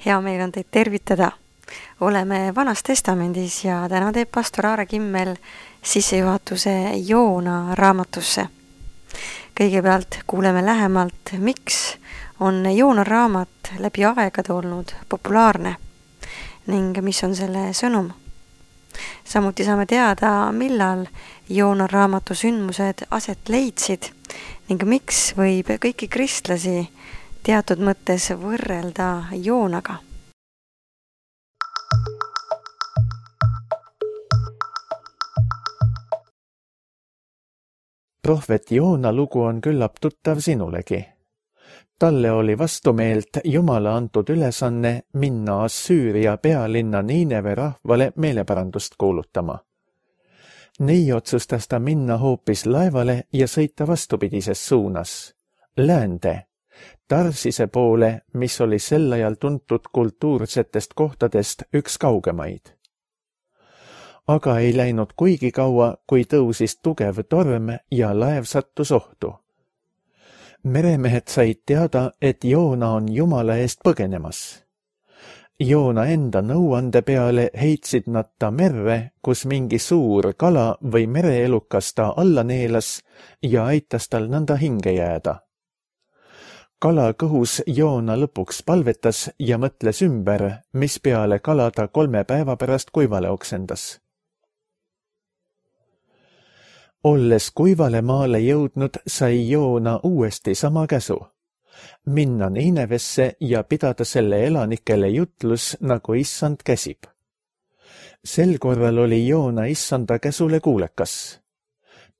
Hea meel on teid tervitada. Oleme Vanas Testamendis ja täna teeb pastor Aare Kimmel sissejuhatuse Joona raamatusse. Kõigepealt kuuleme lähemalt, miks on Joona raamat läbi aegade olnud populaarne ning mis on selle sõnum. Samuti saame teada, millal Joona raamatu sündmused aset leidsid ning miks võib kõiki kristlasi teatud mõttes võrrelda Joonaga. Prohvet Joona lugu on küllap tuttav sinulegi. Talle oli vastumeelt Jumala antud ülesanne minna Assüüria pealinna Niineve rahvale meeleparandust kuulutama. Nii otsustas ta minna hoopis laevale ja sõita vastupidises suunas, läände, Tarsise poole, mis oli sel ajal tuntud kultuursetest kohtadest üks kaugemaid. Aga ei läinud kuigi kaua, kui tõusis tugev torm ja laev sattus ohtu. Meremehed said teada, et Joona on Jumala eest põgenemas. Joona enda nõuande peale heitsid nad ta merre, kus mingi suur kala või mereelukas ta alla neelas ja aitas tal nõnda hinge jääda. Kala kõhus Joona lõpuks palvetas ja mõtles ümber, mispeale kala ta 3 päeva pärast kuivale oksendas. Olles kuivale maale jõudnud, sai Joona uuesti sama käsu. Minna Niinevesse ja pidada selle elanikele jutlus, nagu issand käsib. Sel korral oli Joona issanda käsule kuulekas.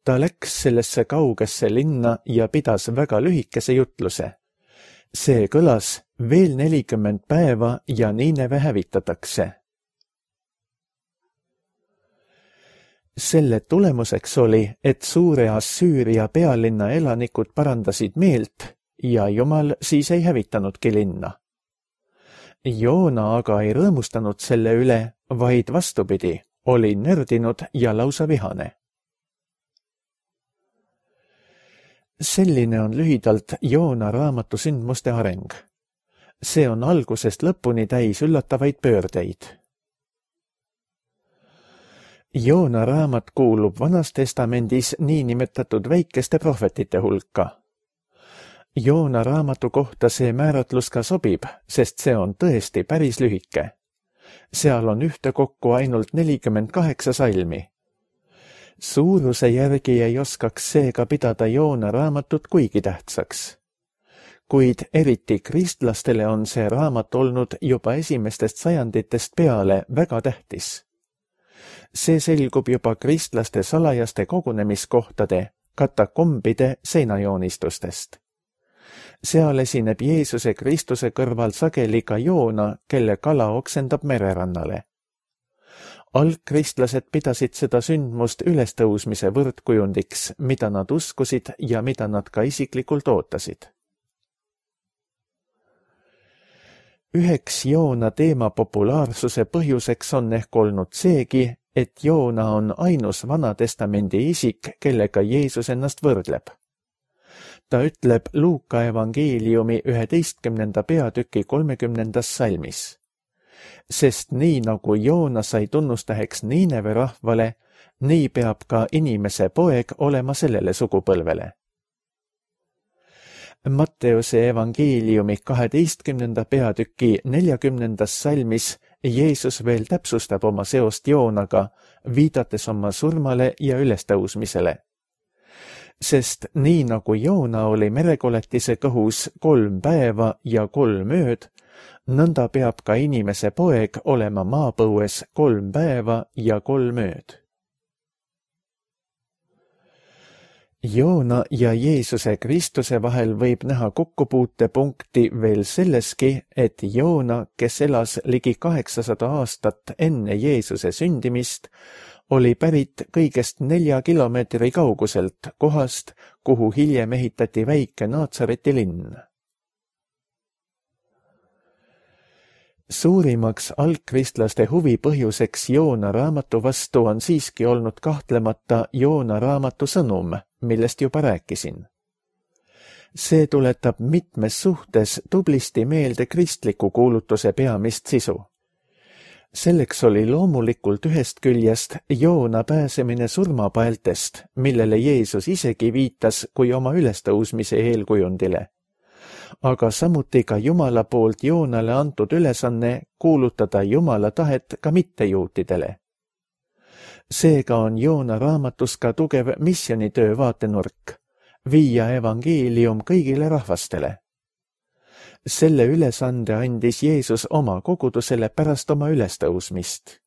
Ta läks sellesse kaugesse linna ja pidas väga lühikese jutluse. See kõlas veel 40 päeva ja Niineve hävitatakse. Selle tulemuseks oli, et suure Assüüria pealinna elanikud parandasid meelt ja Jumal siis ei hävitanudki linna. Joona aga ei rõõmustanud selle üle, vaid vastupidi, oli nördinud ja lausa vihane. Selline on lühidalt Joona raamatu sündmuste areng. See on algusest lõpuni täis üllatavaid pöördeid. Joona raamat kuulub Vanas Testamendis niinimetatud väikeste prohvetite hulka. Joona raamatu kohta see määratlus ka sobib, sest see on tõesti päris lühike. Seal on ühtekokku ainult 48 salmi. Suuruse järgi ei oskaks seega pidada Joona raamatut kuigi tähtsaks. Kuid eriti kristlastele on see raamat olnud juba esimestest sajanditest peale väga tähtis. See selgub juba kristlaste salajaste kogunemiskohtade, katakombide seinajoonistustest. Seal esineb Jeesuse Kristuse kõrval sageli ka Joona, kelle kala oksendab mererannale. Algkristlased pidasid seda sündmust ülestõusmise võrdkujundiks, mida nad uskusid ja mida nad ka isiklikult ootasid. Üheks Joona teema populaarsuse põhjuseks on ehk olnud seegi, et Joona on ainus Vana Testamendi isik, kellega Jeesus ennast võrdleb. Ta ütleb Luuka evangeeliumi 11. peatüki 30. salmis. Sest nii nagu Joona sai tunnustäheks Niineve rahvale, nii peab ka inimese poeg olema sellele sugupõlvele. Matteuse evangeeliumi 12. peatüki 40. salmis Jeesus veel täpsustab oma seost Joonaga, viidates oma surmale ja ülestõusmisele. Sest nii nagu Joona oli merekoletise kõhus 3 päeva ja 3 ööd, nõnda peab ka inimese poeg olema maapõues 3 päeva ja 3 ööd. Joona ja Jeesuse Kristuse vahel võib näha kokkupuutepunkti veel selleski, et Joona, kes elas ligi 800 aastat enne Jeesuse sündimist, oli pärit kõigest 4 kilomeetri kauguselt kohast, kuhu hiljem ehitati väike Naatsareti linn. Suurimaks algkristlaste huvi põhjuseks Joona raamatu vastu on siiski olnud kahtlemata Joona raamatu sõnum, millest juba rääkisin. See tuletab mitmes suhtes tublisti meelde kristliku kuulutuse peamist sisu. Selleks oli loomulikult ühest küljest Joona pääsemine surmapaeltest, millele Jeesus isegi viitas kui oma ülestõusmise eelkujundile. Aga samuti ka Jumala poolt Joonale antud ülesanne kuulutada Jumala tahet ka mittejuutidele. Seega on Joona raamatus ka tugev missionitöö vaatenurk, viia evangeelium kõigile rahvastele. Selle ülesande andis Jeesus oma kogudusele pärast oma ülestõusmist.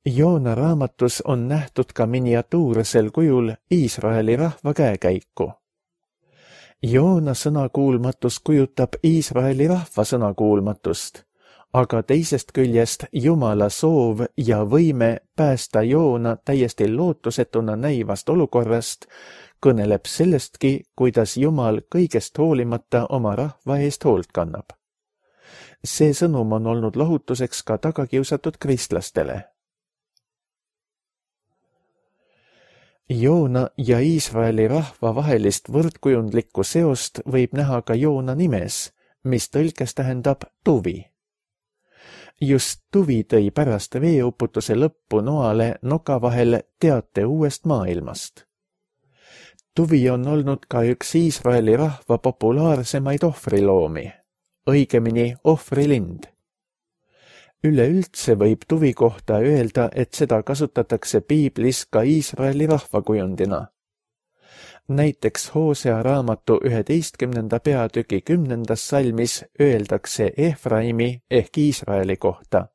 Joona raamatus on nähtud ka miniatuursel kujul Iisraeli rahva käekäiku. Joona sõnakuulmatus kujutab Iisraeli rahva sõnakuulmatust, aga teisest küljest Jumala soov ja võime päästa Joona täiesti lootusetuna näivast olukorrast kõneleb sellestki, kuidas Jumal kõigest hoolimata oma rahva eest hoolt kannab. See sõnum on olnud lohutuseks ka tagakiusatud kristlastele. Joona ja Iisraeli rahva vahelist võrdkujundlikku seost võib näha ka Joona nimes, mis tõlkes tähendab tuvi. Just tuvi tõi pärast veeuputuse lõppu Noale noka vahel teate uuest maailmast. Tuvi on olnud ka üks Iisraeli rahva populaarsemaid ohvriloomi, õigemini ohvrilind. Üleüldse võib tuvi kohta öelda, et seda kasutatakse piiblis ka Iisraeli rahvakujundina. Näiteks Hoosea raamatu 11. peatüki 10. salmis öeldakse Efraimi ehk Iisraeli kohta.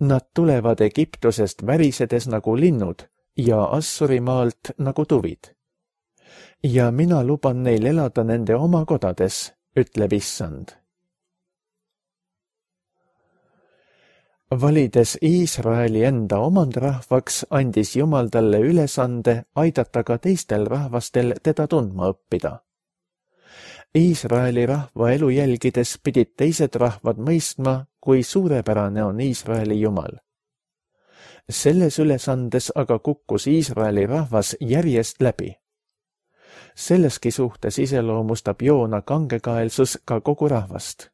Nad tulevad Egiptusest värisedes nagu linnud ja Assurimaalt nagu tuvid. Ja mina luban neil elada nende oma kodades, ütleb Issand. Valides Iisraeli enda omandrahvaks, andis Jumal talle ülesande aidata ka teistel rahvastel teda tundma õppida. Iisraeli rahva elu jälgides pidid teised rahvad mõistma, kui suurepärane on Iisraeli Jumal. Selles ülesandes aga kukkus Iisraeli rahvas järjest läbi. Selleski suhtes iseloomustab Joona kangekaelsus ka kogu rahvast.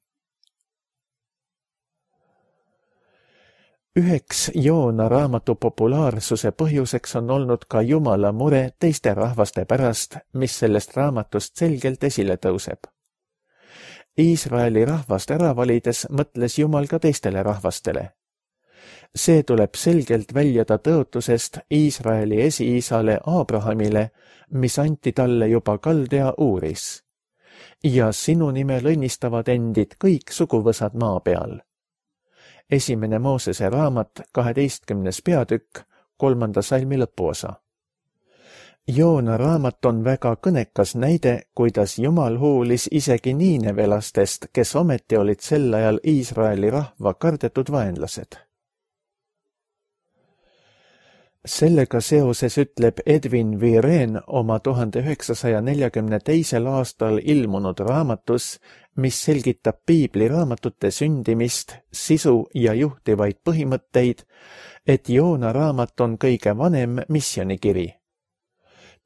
Üheks Joona raamatu populaarsuse põhjuseks on olnud ka Jumala mure teiste rahvaste pärast, mis sellest raamatust selgelt esile tõuseb. Iisraeli rahvast ära valides mõtles Jumal ka teistele rahvastele. See tuleb selgelt väljada tõotusest Iisraeli esiisale Abrahamile, mis anti talle juba Kaldea Uuris. Ja sinu nimel õnnistavad endid kõik suguvõsad maa peal. 1. Moosese raamat, 12. peatükk, 3. salmi lõpuosa. Joona raamat on väga kõnekas näide, kuidas Jumal hoolis isegi niinevelastest, kes ometi olid sel ajal Iisraeli rahva kardetud vaenlased. Sellega seoses ütleb Edwin Viren oma 1942. aastal ilmunud raamatus, mis selgitab piibliraamatute sündimist, sisu ja juhtivaid põhimõtteid, et Joona raamat on kõige vanem missionikiri.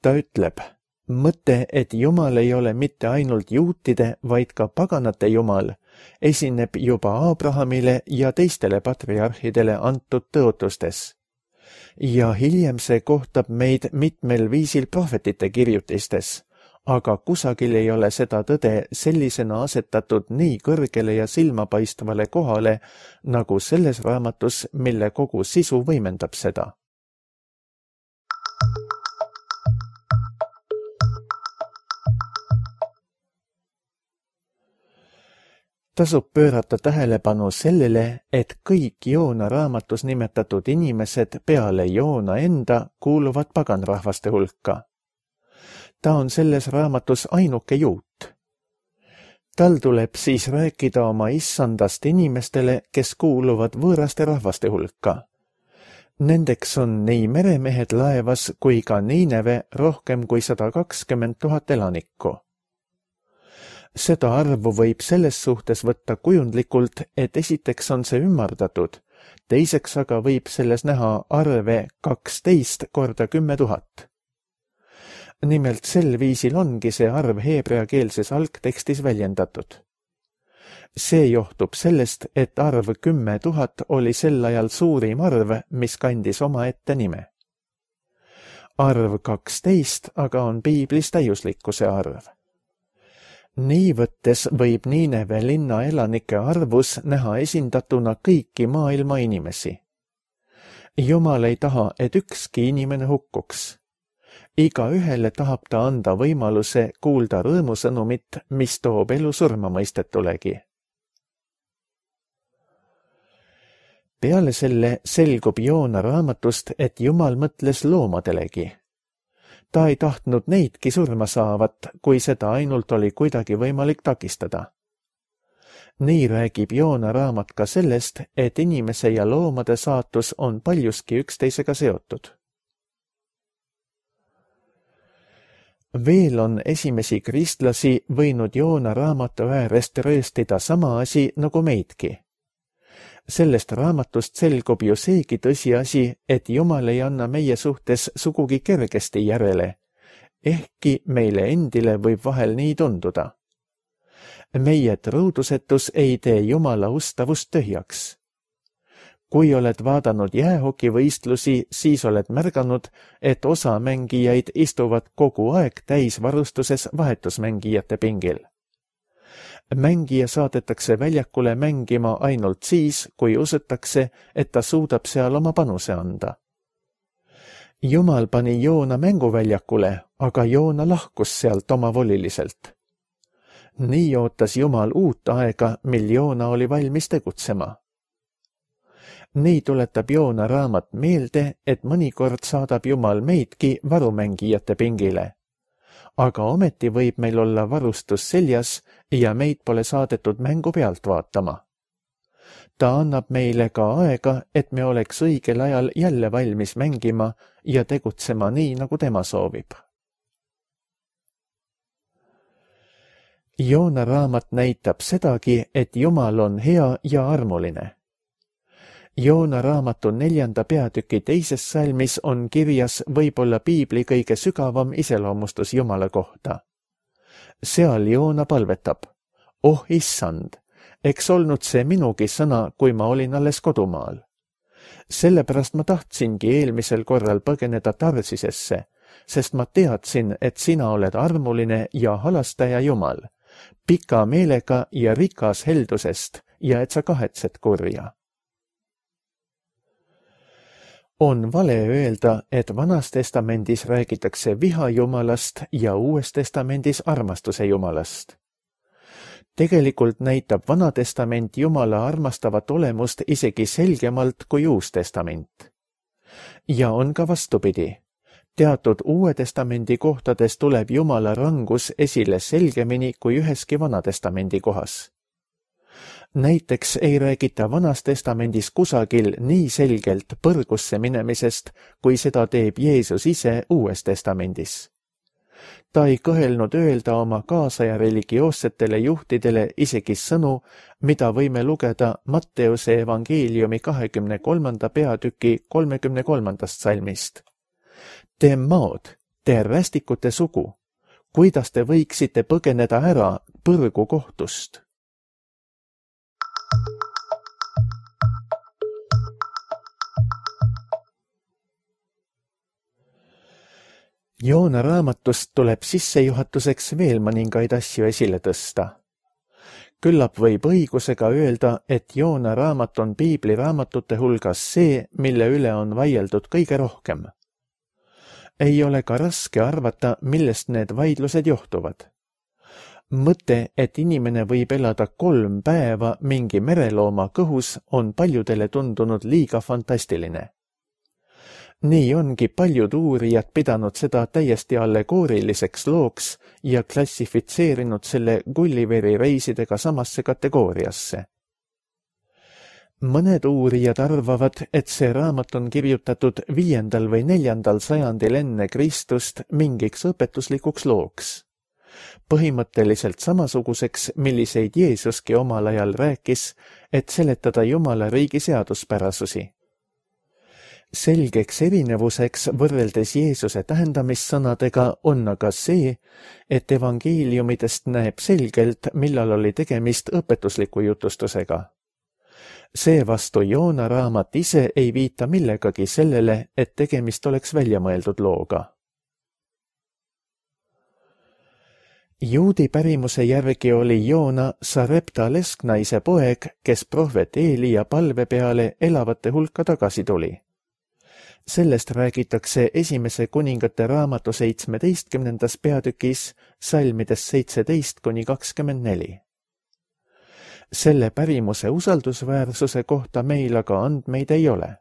Ta ütleb, mõte, et Jumal ei ole mitte ainult juutide, vaid ka paganate Jumal, esineb juba Abrahamile ja teistele patriarhidele antud tõotustes. Ja hiljem see kohtab meid mitmel viisil prohvetite kirjutistes, aga kusagil ei ole seda tõde sellisena asetatud nii kõrgele ja silmapaistvale kohale, nagu selles raamatus, mille kogu sisu võimendab seda. Tasub pöörata tähelepanu sellele, et kõik Joona raamatus nimetatud inimesed peale Joona enda kuuluvad paganrahvaste hulka. Ta on selles raamatus ainuke juut. Tal tuleb siis rääkida oma issandast inimestele, kes kuuluvad võõraste rahvaste hulka. Nendeks on nii meremehed laevas kui ka Niineve rohkem kui 120 000 elanikku. Seda arvu võib selles suhtes võtta kujundlikult, et esiteks on see ümardatud, Teiseks aga võib selles näha arve 12 korda 10 000. Nimelt sel viisil ongi see arv heebreakeelses algtekstis väljendatud. See johtub sellest, et arv 10 000 oli sel ajal suurim arv, mis kandis omaette nime. Arv 12 aga on piiblis täiuslikkuse arv. Nii võttes võib Niineve linna elanike arvus näha esindatuna kõiki maailma inimesi. Jumal ei taha, et ükski inimene hukkuks. Igaühele tahab ta anda võimaluse kuulda rõõmusõnumit, mis toob elu surmamõistetulegi. Peale selle selgub Joona raamatust, et Jumal mõtles loomadelegi. Ta ei tahtnud neidki surma saavat, kui seda ainult oli kuidagi võimalik takistada. Nii räägib Joona raamat ka sellest, et inimese ja loomade saatus on paljuski üksteisega seotud. Veel on esimesi kristlasi võinud Joona raamatu äärest rööstida sama asi nagu meidki. Sellest raamatust selgub ju seegi tõsiasi, et Jumal ei anna meie suhtes sugugi kergesti järele, ehkki meile endile võib vahel nii tunduda. Meie truudusetus ei tee Jumala ustavust tühjaks. Kui oled vaadanud jäähokivõistlusi, siis oled märganud, et osa mängijaid istuvad kogu aeg täisvarustuses vahetusmängijate pingil. Mängija saadetakse väljakule mängima ainult siis, kui usutakse, et ta suudab seal oma panuse anda. Jumal pani Joona mänguväljakule, aga Joona lahkus sealt omavoliliselt. Nii ootas Jumal uut aega, mil Joona oli valmis tegutsema. Nii tuletab Joona raamat meelde, et mõnikord saadab Jumal meidki varumängijate pingile. Aga ometi võib meil olla varustus seljas ja meid pole saadetud mängu pealt vaatama. Ta annab meile ka aega, et me oleks õigel ajal jälle valmis mängima ja tegutsema nii, nagu tema soovib. Joona raamat näitab sedagi, et Jumal on hea ja armuline. Joona raamatu 4. peatüki 2. salmis on kirjas võib-olla piibli kõige sügavam iseloomustus Jumala kohta. Seal Joona palvetab, oh issand, eks olnud see minugi sõna, kui ma olin alles kodumaal. Sellepärast ma tahtsingi eelmisel korral põgeneda Tarsisesse, sest ma teadsin, et sina oled armuline ja halastaja Jumal, pika meelega ja rikas heldusest ja et sa kahetsed kurja. On vale öelda, et Vanas testamendis räägitakse viha Jumalast ja Uues testamendis armastuse Jumalast. Tegelikult näitab Vana testament Jumala armastavat olemust isegi selgemalt kui Uus testament. Ja on ka vastupidi. Teatud Uue testamendi kohtades tuleb Jumala rangus esile selgemini kui üheski Vana testamendi kohas. Näiteks ei räägita Vanas testamendis kusagil nii selgelt põrgusse minemisest, kui seda teeb Jeesus ise Uues testamendis. Ta ei kõhelnud öelda oma kaasaja religioossetele juhtidele isegi sõnu, mida võime lugeda Matteuse evangeeliumi 23. peatüki 33. salmist. Te maod, te rästikute sugu, kuidas te võiksite põgeneda ära põrgu kohtust? Joona raamatust tuleb sissejuhatuseks veel mõningaid asju esile tõsta. Küllap võib õigusega öelda, et Joona raamat on piibliraamatute hulgas see, mille üle on vaieldud kõige rohkem. Ei ole ka raske arvata, millest need vaidlused johtuvad. Mõte, et inimene võib elada 3 päeva mingi merelooma kõhus, on paljudele tundunud liiga fantastiline. Nii ongi paljud uurijad pidanud seda täiesti allegooriliseks looks ja klassifitseerinud selle Gulliveri reisidega samasse kategooriasse. Mõned uurijad arvavad, et see raamat on kirjutatud 5. või 4. sajandil enne Kristust mingiks õpetuslikuks looks. põhimõtteliselt samasuguseks, milliseid Jeesuski omal ajal rääkis, et seletada Jumala riigi seaduspärasusi. Selgeks erinevuseks võrreldes Jeesuse tähendamissõnadega on aga see, et evangeeliumidest näeb selgelt, millal oli tegemist õpetusliku jutustusega. Seevastu Joona raamat ise ei viita millegagi sellele, et tegemist oleks väljamõeldud looga. Juudi pärimuse järgi oli Joona Sarepta lesknaise poeg, kes prohvet Eelia palve peale elavate hulka tagasi tuli. Sellest räägitakse esimese kuningate raamatu 17. peatükis salmides 17–24. Selle pärimuse usaldusväärsuse kohta meil aga andmeid ei ole.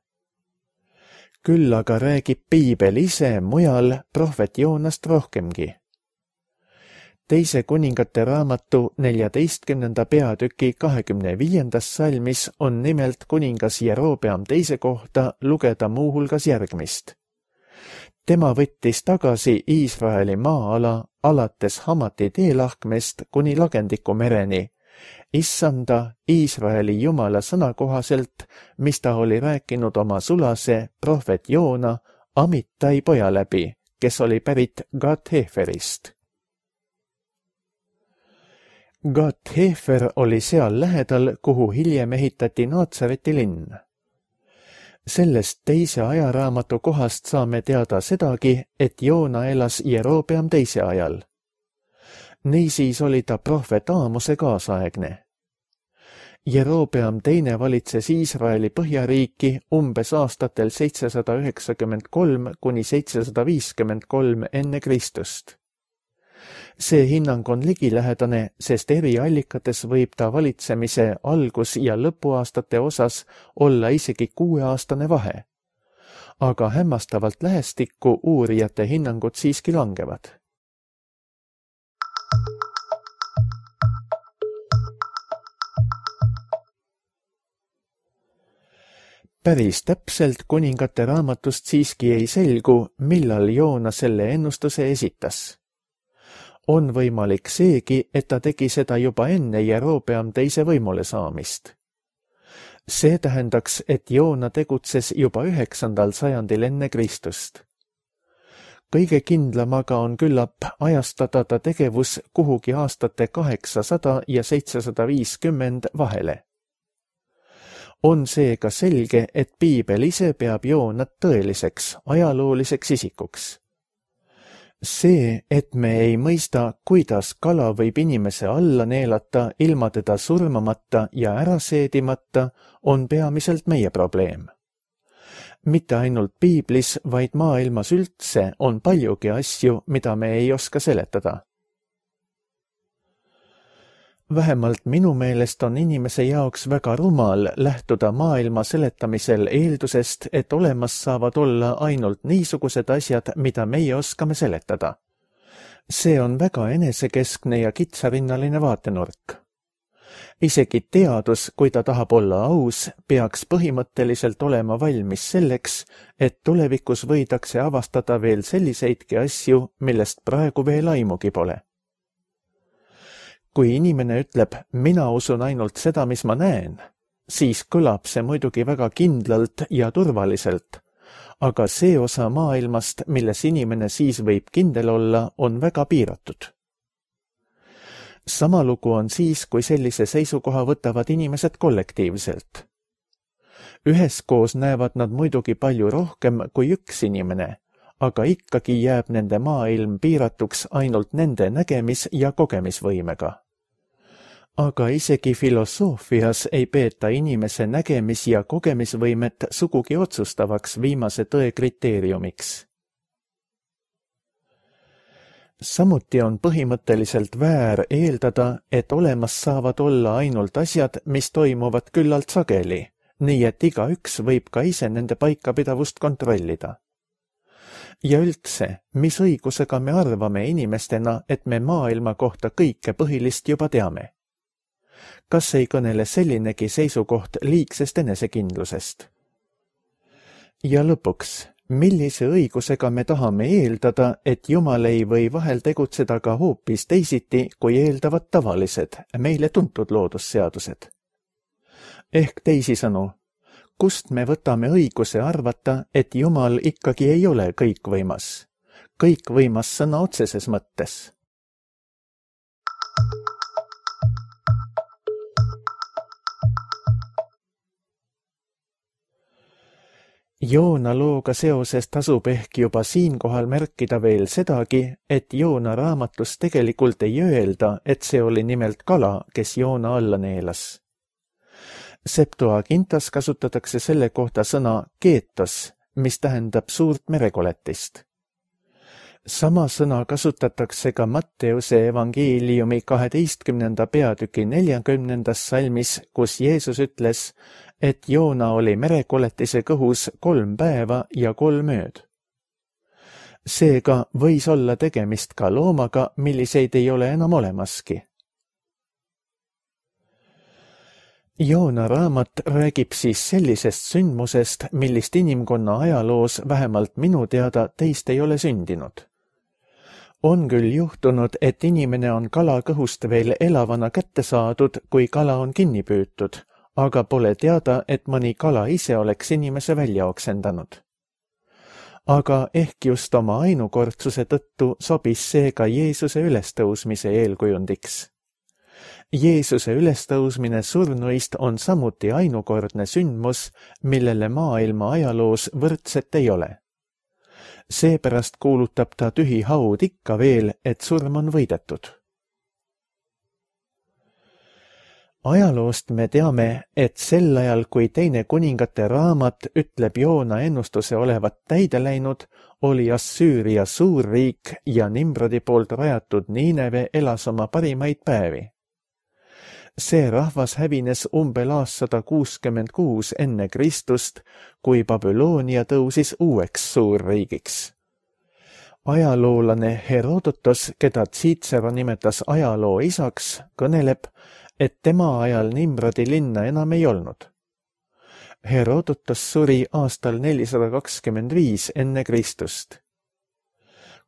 Küll aga räägib piibel ise mujal prohvet Joonast rohkemgi. Teise kuningate raamatu 14. peatüki 25. salmis on nimelt kuningas Jerobeam teise kohta lugeda muuhulgas järgmist. Tema võttis tagasi Iisraeli maa-ala alates Hamati teelahkmest kuni Lagendiku mereni, Issanda Iisraeli Jumala sõna kohaselt, mis ta oli rääkinud oma sulase prohvet Joona Amittai poja läbi, kes oli pärit Gat-Heferist. Gat-Hefer oli seal lähedal, kuhu hiljem ehitati Naatsareti linn. Sellest teise ajaraamatu kohast saame teada sedagi, et Joona elas Jerobeam teise ajal. Niisiis oli ta prohvet Aamose kaasaegne. Jerobeam teine valitses Iisraeli põhjariiki umbes aastatel 793–753 enne Kristust. See hinnang on ligilähedane, sest eri allikates võib ta valitsemise algus- ja lõpuaastate osas olla isegi 6-aastane vahe. Aga hämmastavalt lähestikku uurijate hinnangud siiski langevad. Päris täpselt kuningate raamatust siiski ei selgu, millal Joona selle ennustuse esitas. On võimalik seegi, et ta tegi seda juba enne Jerobeam teise võimule saamist. See tähendaks, et Joona tegutses juba 9. sajandil enne Kristust. Kõige kindlam aga on küllap ajastada ta tegevus kuhugi aastate 800 ja 750 vahele. On seega selge, et piibel ise peab Joonat tõeliseks, ajalooliseks isikuks. See, et me ei mõista, kuidas kala võib inimese alla neelata ilma teda surmamata ja ära seedimata, on peamiselt meie probleem. Mitte ainult piiblis, vaid maailmas üldse on paljugi asju, mida me ei oska seletada. Vähemalt minu meelest on inimese jaoks väga rumal lähtuda maailma seletamisel eeldusest, et olemas saavad olla ainult niisugused asjad, mida meie oskame seletada. See on väga enesekeskne ja kitsarinnaline vaatenurk. Isegi teadus, kui ta tahab olla aus, peaks põhimõtteliselt olema valmis selleks, et tulevikus võidakse avastada veel selliseidki asju, millest praegu veel aimugi pole. Kui inimene ütleb, mina usun ainult seda, mis ma näen, siis kõlab see muidugi väga kindlalt ja turvaliselt, aga see osa maailmast, milles inimene siis võib kindel olla, on väga piiratud. Sama lugu on siis, kui sellise seisukoha võtavad inimesed kollektiivselt. Üheskoos näevad nad muidugi palju rohkem kui üks inimene, aga ikkagi jääb nende maailm piiratuks ainult nende nägemis- ja kogemisvõimega. Aga isegi filosoofias ei peeta inimese nägemis- ja kogemisvõimet sugugi otsustavaks viimase tõe kriteeriumiks. Samuti on põhimõtteliselt väär eeldada, et olemas saavad olla ainult asjad, mis toimuvad küllalt sageli, nii et igaüks võib ka ise nende paikapidavust kontrollida. Ja üldse, mis õigusega me arvame inimestena, et me maailma kohta kõike põhilist juba teame? Kas ei kõnele sellinegi seisukoht liigsest enesekindlusest? Ja lõpuks, millise õigusega me tahame eeldada, et Jumal ei või vahel tegutseda ka hoopis teisiti, kui eeldavad tavalised, meile tuntud loodusseadused? Ehk teisisõnu, kust me võtame õiguse arvata, et Jumal ikkagi ei ole kõikvõimas? Kõikvõimas sõna otseses mõttes. Joona looga seoses tasub ehk juba siinkohal märkida veel sedagi, et Joona raamatus tegelikult ei öelda, et see oli nimelt kala, kes Joona alla neelas. Septuagintas kasutatakse selle kohta sõna keetos, mis tähendab suurt merekoletist. Sama sõna kasutatakse ka Matteuse evangeeliumi 12. peatüki 40. salmis, kus Jeesus ütles, et Joona oli merekoletise kõhus 3 päeva ja 3 ööd. Seega võis olla tegemist ka loomaga, milliseid ei ole enam olemaski. Joona raamat räägib siis sellisest sündmusest, millist inimkonna ajaloos vähemalt minu teada teist ei ole sündinud. On küll juhtunud, et inimene on kala kõhust veel elavana kätte saadud, kui kala on kinni püütud, aga pole teada, et mõni kala ise oleks inimese välja oksendanud. Aga ehk just oma ainukordsuse tõttu sobis see ka Jeesuse ülestõusmise eelkujundiks. Jeesuse ülestõusmine surnuist on samuti ainukordne sündmus, millele maailma ajaloos võrdset ei ole. Seepärast kuulutab ta tühi haud ikka veel, et surm on võidetud. Ajaloost me teame, et sel ajal, kui Teine kuningate raamat ütleb Joona ennustuse olevat täide läinud, oli Assüüria suurriik ja Nimrodi poolt rajatud Niineve elas oma parimaid päevi. See rahvas hävines umbel aastal 166 enne Kristust, kui Babyloonia tõusis uueks suurriigiks. Ajaloolane Herodotos, keda Cicero nimetas ajaloo isaks, kõneleb, et tema ajal Nimrodi linna enam ei olnud. Herodotos suri aastal 425 enne Kristust.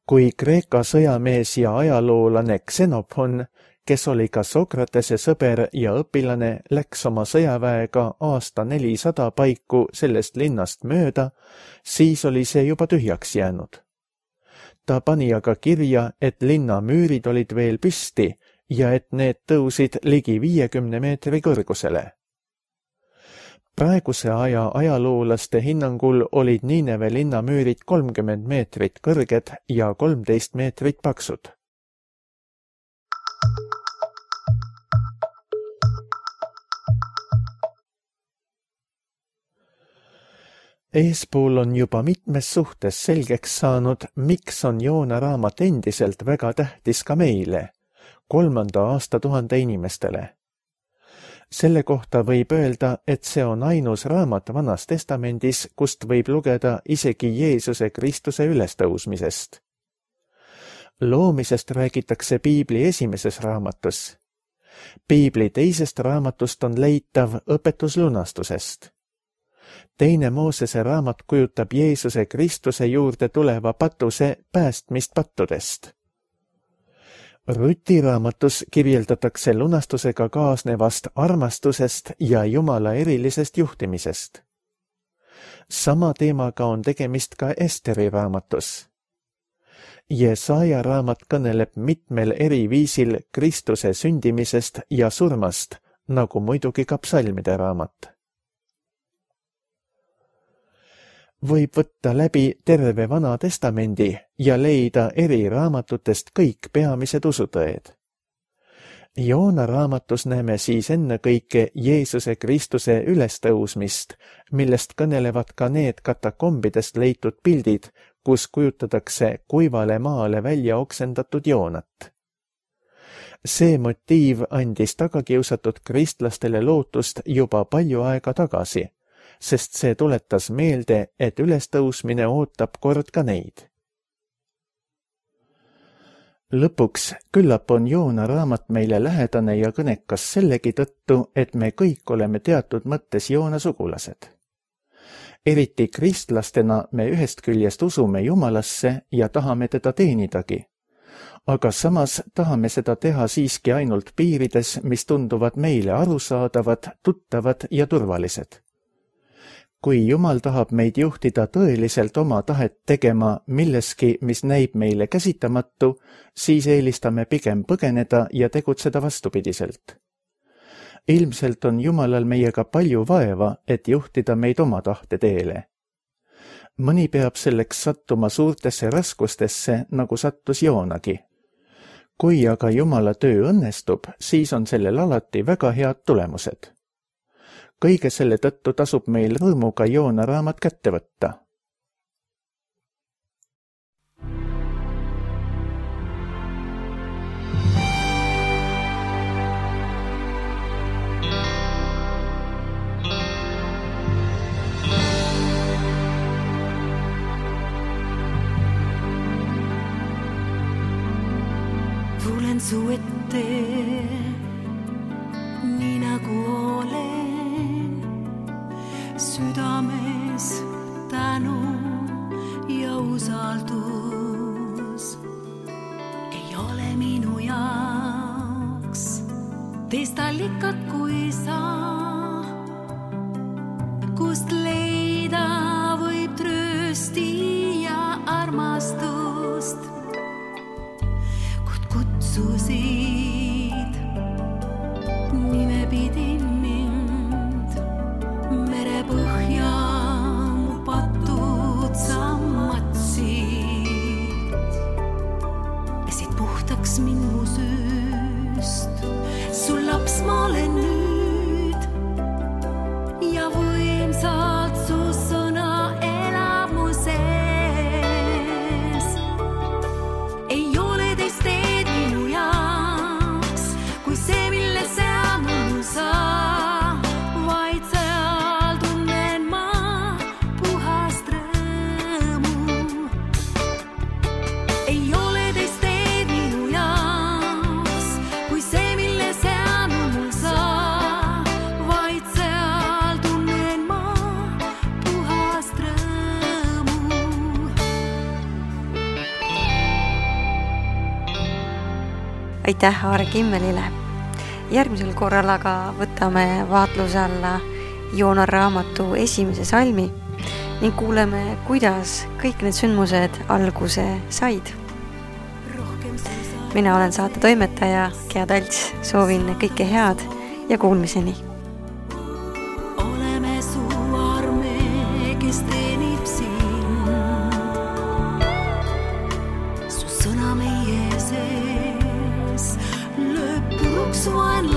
Kui Kreeka sõjamees ja ajaloolane Xenophon, kes oli ka Sokratese sõber ja õpilane, läks oma sõjaväega aasta 400 paiku sellest linnast mööda, siis oli see juba tühjaks jäänud. Ta pani aga kirja, et linna müürid olid veel püsti ja et need tõusid ligi 50 meetri kõrgusele. Praeguse aja ajaloolaste hinnangul olid Niineve linna müürid 30 meetrit kõrged ja 13 meetrit paksud. Eespool on juba mitmes suhtes selgeks saanud, miks on Joona raamat endiselt väga tähtis ka meile, 3. aastatuhande inimestele. Selle kohta võib öelda, et see on ainus raamat Vanas Testamendis, kust võib lugeda isegi Jeesuse Kristuse ülestõusmisest. Loomisest räägitakse Piibli esimeses raamatus. Piibli teisest raamatust on leitav õpetus lunastusest. Teine Moosese raamat kujutab Jeesuse Kristuse juurde tuleva patuse päästmist pattudest. Ruti raamatus kirjeldatakse lunastusega kaasnevast armastusest ja Jumala erilisest juhtimisest. Sama teemaga on tegemist ka Esteri raamatus. Jesaja raamat kõneleb mitmel eri viisil Kristuse sündimisest ja surmast, nagu muidugi ka psalmide raamat. Võib võtta läbi terve Vana Testamendi ja leida eri raamatutest kõik peamised usutõed. Joona raamatus näeme siis ennekõike Jeesuse Kristuse ülestõusmist, millest kõnelevad ka need katakombidest leitud pildid, kus kujutatakse kuivale maale välja oksendatud Joonat. See motiiv andis tagakiusatud kristlastele lootust juba palju aega tagasi, sest see tuletas meelde, et ülestõusmine ootab kord ka neid. Lõpuks, küllap on Joona raamat meile lähedane ja kõnekas sellegi tõttu, et me kõik oleme teatud mõttes Joona sugulased. Eriti kristlastena me ühest küljest usume Jumalasse ja tahame teda teenidagi. Aga samas tahame seda teha siiski ainult piirides, mis tunduvad meile arusaadavad, tuttavad ja turvalised. Kui Jumal tahab meid juhtida tõeliselt oma tahet tegema milleski, mis näib meile käsitamatu, siis eelistame pigem põgeneda ja tegutseda vastupidiselt. Ilmselt on Jumalal meiega palju vaeva, et juhtida meid oma tahte teele. Mõni peab selleks sattuma suurtesse raskustesse, nagu sattus Joonagi. Kui aga Jumala töö õnnestub, siis on sellel alati väga head tulemused. Kõige selle tõttu tasub meil rõõmuga Joona raamat kätte võtta. Tulen su ette, nii nagu olen, südames tänu ja usaldus. Ei ole minu jaoks teist allikat kui sa, kust leida võib tröösti ja armastust. Kutsusid nimepidi mind merepõhja mu patud sa matsid. Pesid puhtaks mind mu süüst, sul laps ma olen nüüd ja võimsalt su sõna elab mu sees. Ei ole teist teed minu jaoks, kui see, mille seal mul sa, vaid seal tunnen ma puhast rõõmu. Ei ole teist teed minu jaoks, kui see, mille seal mul sa, vaid seal tunnen ma puhast rõõmu. Aitäh Aare Kimmelile. Järgmisel korral aga võtame vaatluse alla Joona raamatu esimese salmi ning kuuleme, kuidas kõik need sündmused alguse said. Mina olen saate toimetaja Gea Talts, soovin kõike head ja kuulmiseni. Oleme su arme, kes teenib siin. Su sõna meie sees lööb puruks vaenlane.